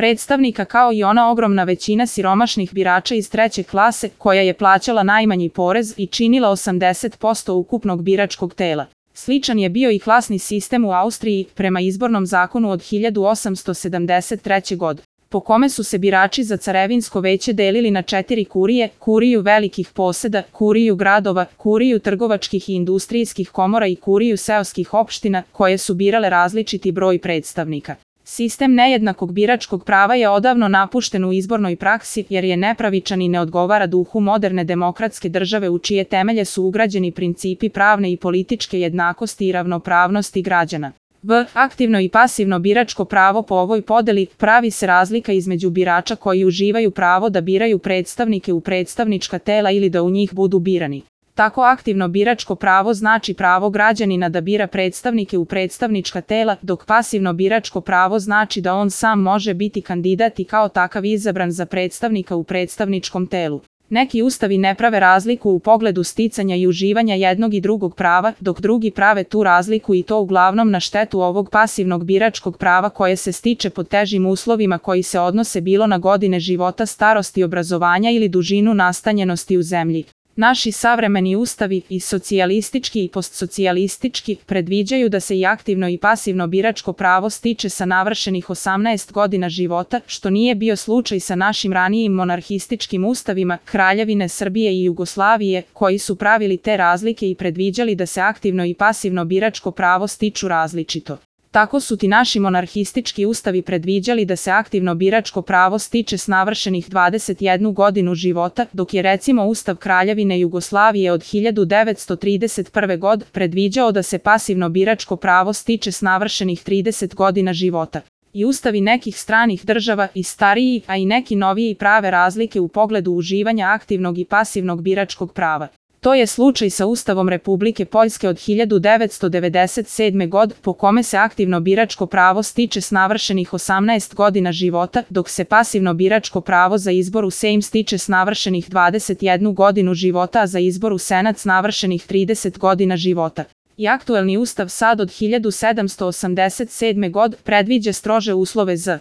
predstavnika kao i ona ogromna većina siromašnih birača iz treće klase koja je plaćala najmanji porez i činila 80% ukupnog biračkog tela. Sličan je bio i klasni sistem u Austriji prema izbornom zakonu od 1873. godine, po kome su se birači za carevinsko veće delili na 4 kurije: kuriju velikih poseda, kuriju gradova, kuriju trgovačkih i industrijskih komora i kuriju seoskih opština, koje su birale različiti broj predstavnika. Sistem nejednakog biračkog prava je odavno napušten u izbornoj praksi jer je nepravičan i ne odgovara duhu moderne demokratske države u čije temelje su ugrađeni principi pravne i političke jednakosti i ravnopravnosti građana. Aktivno i pasivno biračko pravo. Po ovoj podeli pravi se razlika između birača koji uživaju pravo da biraju predstavnike u predstavnička tela ili da u njih budu birani. Tako aktivno biračko pravo znači pravo građanina da bira predstavnike u predstavnička tela, dok pasivno biračko pravo znači da on sam može biti kandidat i kao takav izabran za predstavnika u predstavničkom telu. Neki ustavi ne prave razliku u pogledu sticanja i uživanja jednog i drugog prava, dok drugi prave tu razliku i to uglavnom na štetu ovog pasivnog biračkog prava koje se stiče pod težim uslovima koji se odnose bilo na godine života, starosti, obrazovanja ili dužinu nastanjenosti u zemlji. Naši savremeni ustavi, i socijalistički i postsocijalistički, predviđaju da se i aktivno i pasivno biračko pravo stiče sa navršenih 18 godina života, što nije bio slučaj sa našim ranijim monarhističkim ustavima Kraljevine Srbije i Jugoslavije, koji su pravili te razlike i predviđali da se aktivno i pasivno biračko pravo stiču različito. Tako su ti naši monarhistički ustavi predviđali da se aktivno biračko pravo stiče s navršenih 21 godinu života, dok je recimo Ustav Kraljevine Jugoslavije od 1931. godine predviđao da se pasivno biračko pravo stiče s navršenih 30 godina života. I ustavi nekih stranih država, i stariji, a i neki noviji, prave razlike u pogledu uživanja aktivnog i pasivnog biračkog prava. To je slučaj sa Ustavom Republike Poljske od 1997. godine, po kome se aktivno biračko pravo stiče s navršenih 18 godina života, dok se pasivno biračko pravo za izbor u Sejm stiče s navršenih 21 godinu života, a za izbor u Senat s navršenih 30 godina života. I aktuelni Ustav sad od 1787. godine predviđa strože uslove za